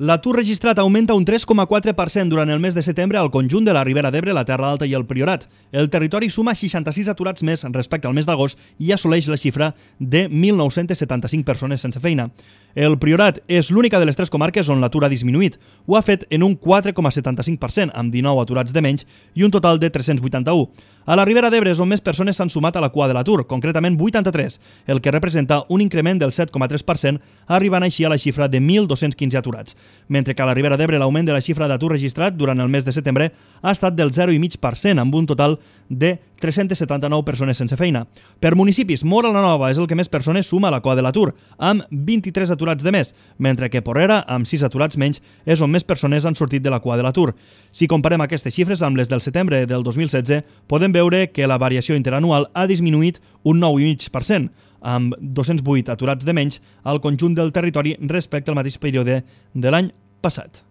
L'atur registrat augmenta un 3,4% durant el mes de setembre al conjunt de la Ribera d'Ebre, la Terra Alta i el Priorat. El territori suma 66 aturats més respecte al mes d'agost i assoleix la xifra de 1.975 persones sense feina. El Priorat és l'única de les tres comarques on l'atur ha disminuït. Ho ha fet en un 4,75%, amb 19 aturats de menys i un total de 381. A la Ribera d'Ebre és on més persones s'han sumat a la cua de l'atur, concretament 83, el que representa un increment del 7,3%, arribant així a la xifra de 1.215 aturats. Mentre que a la Ribera d'Ebre l'augment de la xifra d'atur registrat durant el mes de setembre ha estat del 0,5%, amb un total de 379 persones sense feina. Per municipis, Móra la Nova és el que més persones suma a la cua de l'atur, amb 23 aturats de més, mentre que Porrera, amb 6 aturats menys, és on més persones han sortit de la cua de l'atur. Si comparem aquestes xifres amb les del setembre del 2016, podem veure que la variació interanual ha disminuït un 9,5%, amb 208 aturats de menys al conjunt del territori respecte al mateix període de l'any passat.